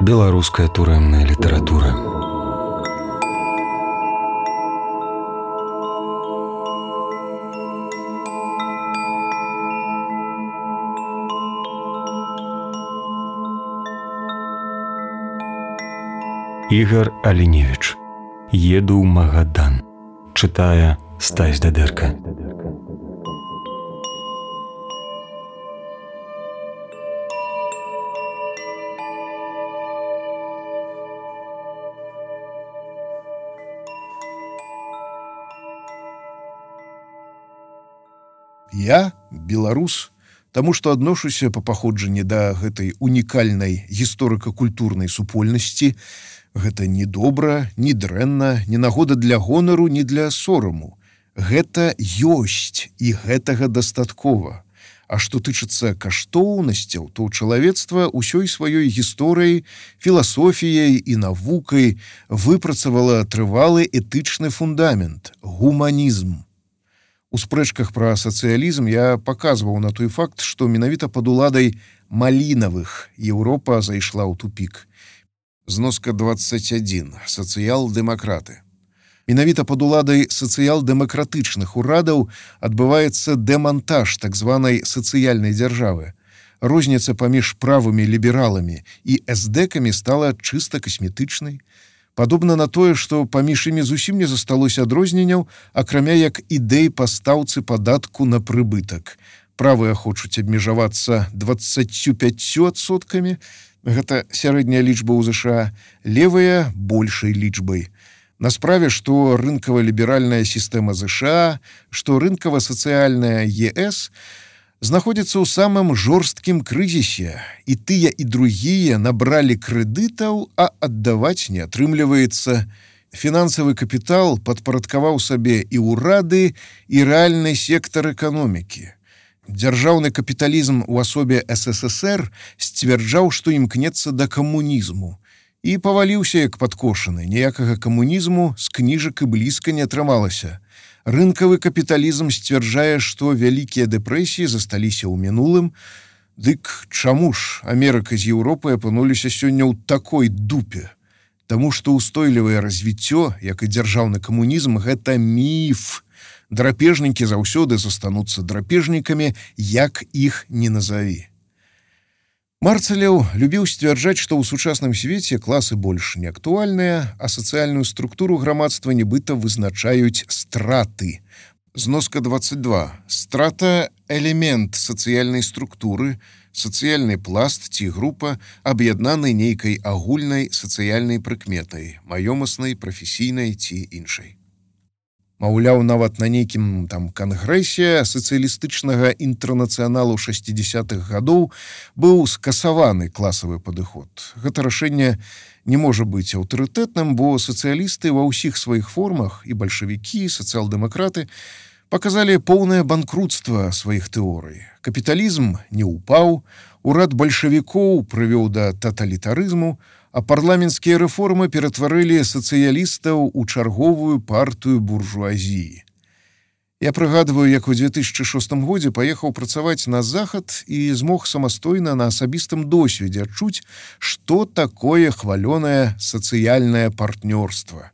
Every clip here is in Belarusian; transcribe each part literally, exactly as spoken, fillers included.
Беларуская турэмная літаратура. Ігар Аліневіч. Еду ў Магадан. Чытае Стась Дадэрка. Я беларус, таму што адношуся па паходжанні да гэтай унікальнай гісторыка-культурнай супольнасці. Гэта не добра, не дрэнна, не нагода для гонару, не для сораму. Гэта ёсць, і гэтага дастаткова. А што тычыцца каштоўнасцяў, то чалавецтва ўсёй сваёй гісторыяй, філасофіяй і навукай выпрацавала трывалы этычны фундамент – гуманізм. У спрэчках пра сацыялізм я паказваў на той факт, што менавіта пад уладай Малінавых Еўропа зайшла ў тупік. Зноска дваццаць адзін. Сацыял-дэмакраты. Менавіта пад уладай сацыял-дэмакратычных урадаў адбываецца дэмантаж так званай сацыяльнай дзяржавы. Розніца паміж правымі лібераламі і эсдэкамі стала чыста касметычнай. Падобна на тое, што паміж імі зусім не засталося адрозненняў, акрамя як ідэй па стаўцы падатку на прыбытак. Правыя хочуць абмежавацца дваццаццю пяццю адсоткамі, гэта сярэдняя лічба ў ЗША, левыя большай лічбай. На справе, што рынкава-ліберальная сістэма ЗША, што рынкава-сацыяльная ЕС знаходзіцца ў самым жорсткім крызісе, і тыя і другія набралі крэдытаў, а аддаваць не атрымліваецца. Фінансавы капітал падпарадкаваў сабе і ўрады, і рэальны сектар эканомікі. Дзяржаўны капіталізм у асобе СССР сцвярджаў, што імкнецца да камунізму. І паваліўся як падкошаны. Ніякага камунізму з кніжак і блізка не атрымалася. Рынкавы капіталізм сцвярджае, што вялікія дэпрэсіі засталіся ў мінулым. Дык чаму ж Амерыка з Еўропай апынуліся сёння ў такой дупе? Таму што ўстойлівае развіццё, як і дзяржаўны камунізм, гэта міф. Драпежнікі заўсёды застануцца драпежнікамі, як іх не назаві. Марцалеў любіў сцвярджаць, што ў сучасным свеце класы больш не актуальныя, а сацыяльную структуру грамадства нібыта вызначаюць страты. Зноска дваццаць два. Страта – элемент сацыяльнай структуры, сацыяльны пласт ці група, аб'яднаны нейкай агульнай сацыяльнай прыкметай, маёмаснай, прафесійнай ці іншай. Маўляў, нават на нейкім там кангрэсе сацыялістычнага інтэрнацыяналу шэсцідзесятых гадоў быў скасаваны класавы падыход. Гэта рашэнне не можа быць аўтарытэтным, бо сацыялісты ва ўсіх сваіх формах, і бальшавікі, і сацыял-дэмакраты, паказалі поўнае банкрутства сваіх тэорый. Капіталізм не ўпаў, урад бальшавікоў прывёў да таталітарызму, а парламенцкія рэформы ператварылі сацыялістаў у чарговую партыю буржуазіі. Я прыгадваю, як у дзве тысячы шостым годзе паехаў працаваць на захад і змог самастойна на асабістым досведзе адчуць, што такое хвалёнае сацыяльнае партнёрства.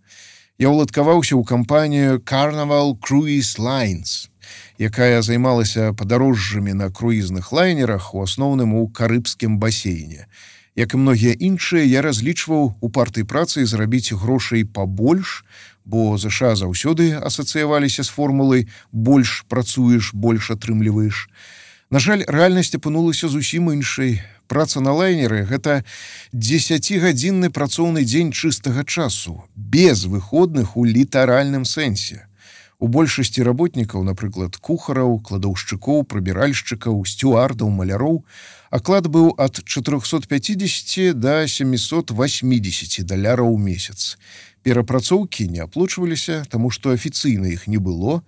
Я ўладкаваўся ў кампанію Carnival Cruise Lines, якая займалася падарожжамі на круізных лайнерах, у асноўным у карыбскім басейне. Як і многія іншыя, я разлічваў у партыі працы зарабіць грошай пабольш, бо ЗША заўсёды асацыяваліся з формулай «больш працуеш, больш атрымліваеш». На жаль, рэальнасць апынулася зусім іншай. Праца на лайнеры – гэта дзесяцігадзінны працоўны дзень чыстага часу, без выходных у літаральным сэнсе. У большасці работнікаў, напрыклад, кухараў, кладаўшчыкоў, прыбіральшчыкаў, сцюардаў, маляроў, аклад быў ад чатырохсот пяцідзесяці да сямісот васьмідзесяці даляраў у месяц. Перапрацоўкі не аплочваліся, таму што афіцыйна іх не было.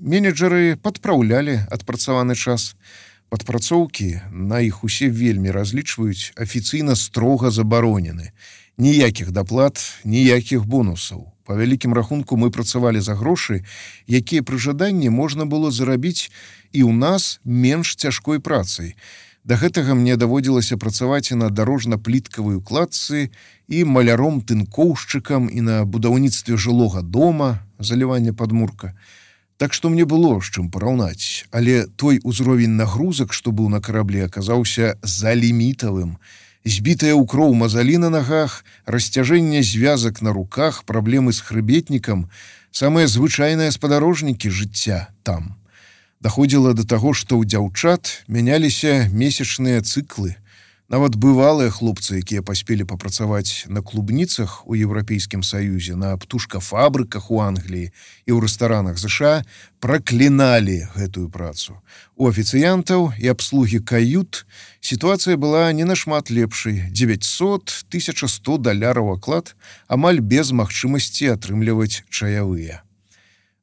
Менеджеры падпраўлялі адпрацаваны час. Падпрацоўкі, на іх усе вельмі разлічваюць, афіцыйна строга забаронены. Ніякіх даплат, ніякіх бонусаў. Па вялікім рахунку мы працавалі за грошы, якія пры жаданні можна было зарабіць і ў нас менш цяжкой працай. Да гэтага мне даводзілася працаваць і на дарожна-пліткавай укладцы, і маляром-тынкоўшчыкам, і на будаўніцтве жылога дома, залівання падмурка. Так што мне было з чым параўнаць, але той узровень нагрузак, што быў на караблі, аказаўся залімітавым. Збітая ў кроў мазалі на нагах, расцяжэнне звязак на руках, праблемы з хрыбетнікам, самыя звычайныя спадарожнікі жыцця там. Даходзіла да таго, што ў дзяўчат мяняліся месячныя цыклы. Нават бывалыя хлопцы, якія паспелі папрацаваць на клубніцах у Еўрапейскім Саюзе, на птушкафабрыках у Англіі і ў рэстаранах ЗША, пракліналі гэтую працу. У афіцыянтаў і абслугі кают сітуацыя была не нашмат лепшай. дзевяцьсот - тысяча сто даляраў аклад, амаль без магчымасці атрымліваць чаявыя.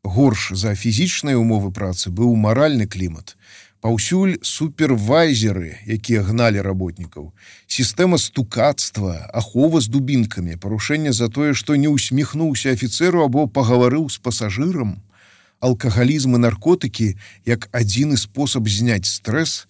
Горш за фізічныя ўмовы працы быў маральны клімат. Паўсюль супервайзеры, якія гналі работнікаў, сістэма стукацтва, ахова з дубінкамі, парушэнне за тое, што не усміхнуўся афіцэру або пагаварыў з пасажырам, алкагалізм і наркотыкі як адзіны спосаб зняць стрэс.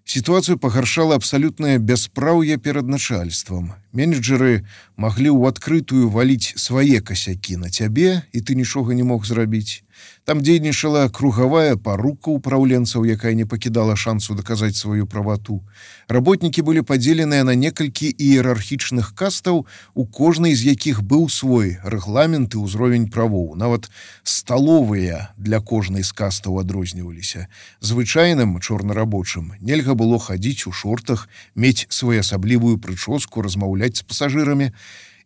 Сітуацыю пагаршала абсалютнае бяспраўе перад начальствам. Менеджеры маглі ў адкрытую валіць свае касякі на цябе, і ты нічога не мог зрабіць. Там дзейнічала кругавая парука ўпраўленцаў, якая не пакідала шансу даказаць сваю правату. Работнікі былі падзеленыя на некалькі іерархічных кастаў, у кожнай з якіх быў свой рэгламент і ўзровень правоў. Нават сталовыя для кожнай з кастаў адрозніваліся. Звычайным чорнарабочым нельга было хадзіць у шортах, мець своеасаблівую прычоску, размаўляць з пасажырамі.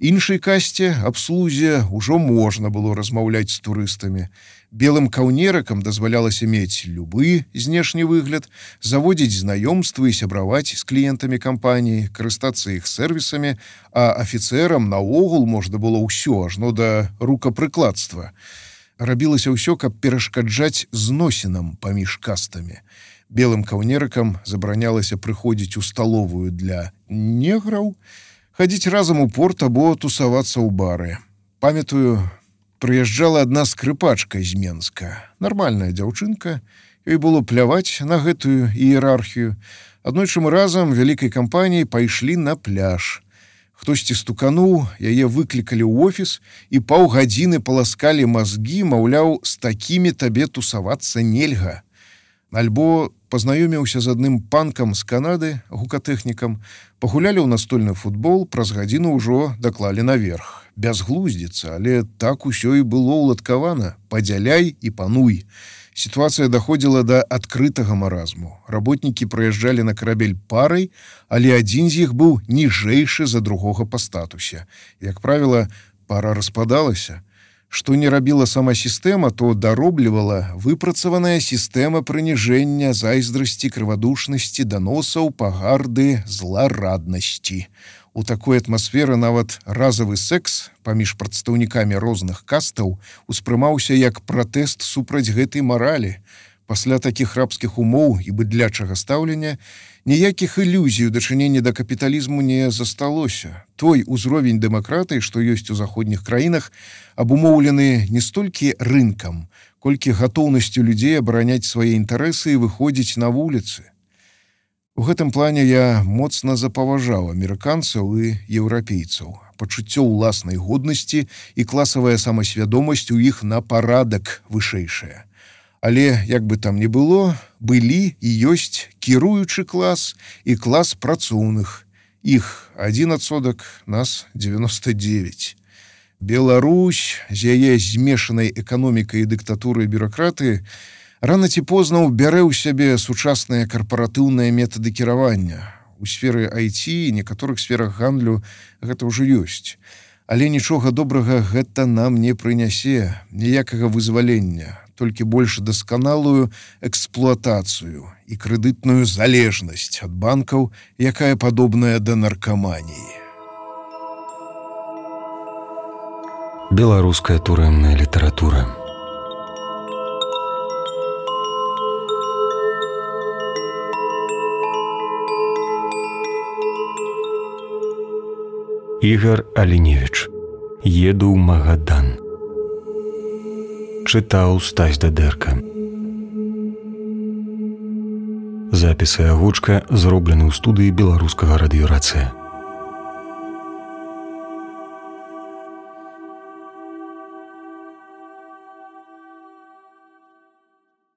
Іншай касце, абслузе, ужо можна было размаўляць з турыстамі. Белым каўнерыкам дазвалялася мець любы знешні выгляд, заводзіць знаёмствы і сябраваць з кліентамі кампаніі, карыстацца іх сервісамі, а афіцэрам наогул можна было ўсё, ажно да рукапрыкладства. Рабілася ўсё, каб перашкаджаць зносінам паміж кастамі. Белым каўнерыкам забаранялася прыходзіць у сталовую для неграў, хадзіць разам у порт або тусавацца ў бары. Памятаю, прыязджала адна скрыпачка з Менска. Нармальная дзяўчынка, ёй было пляваць на гэтую іерархію. Аднойчы мы разам вялікай кампаніяй пайшлі на пляж. Хтосьці стукануў, яе выклікалі ў офіс і паўгадзіны паласкалі мазгі, маўляў, з такімі табе тусавацца нельга. Альбо пазнаёміўся з адным панкам з Канады, гукатэхнікам, пагулялі ў настольны футбол, праз гадзіну ўжо даклалі наверх. Бязглуздзіца, але так усё і было ўладкавана. Падзяляй і пануй. Сітуацыя даходзіла да адкрытага маразму. Работнікі прыязджалі на карабель парай, але адзін з іх быў ніжэйшы за другога па статусе. Як правіла, пара распадалася. Што не рабіла сама сістэма, то дароблівала выпрацаваная сістэма прыніжэння, зайздрасці, крывадушнасці, даносаў, пагарды, злараднасці. У такой атмасферы нават разавы секс паміж прадстаўнікамі розных кастаў успрымаўся як пратэст супраць гэтай маралі. Пасля такіх рабскіх умоў і быдлячага стаўлення ніякіх ілюзій у дачыненні да капіталізму не засталося. Той узровень дэмакратыі, што ёсць у заходніх краінах, абумоўлены не столькі рынкам, колькі гатоўнасцю людзей абараняць свае інтарэсы і выходзіць на вуліцы. У гэтым плане я моцна запаважаў амерыканцаў і еўрапейцаў. Пачуццё ўласнай годнасці і класавая самасвядомасць у іх на парадак вышэйшая. Але, як бы там ні было, былі і ёсць кіруючы клас і клас працоўных. Іх адзін адсотак, нас дзевяноста дзевяць. Беларусь з яе змешанай эканомікай і дыктатурай бюракратыі рана ці позна ўбярэ ў сябе сучасныя карпаратыўныя метады кіравання. У сферы ай ти і некаторых сферах гандлю гэта ўжо ёсць. Але нічога добрага гэта нам не прынясе, ніякага вызвалення, толькі больш дасканалую эксплуатацыю і крэдытную залежнасць ад банкаў, якая падобная да наркаманіі. Беларуская турэмная літаратура. Ігар Аліневіч. Еду ў Магадан. Чытаў Стась Дадэрка. Запісы агучка зроблены ў студыі беларускага радыёрацыя.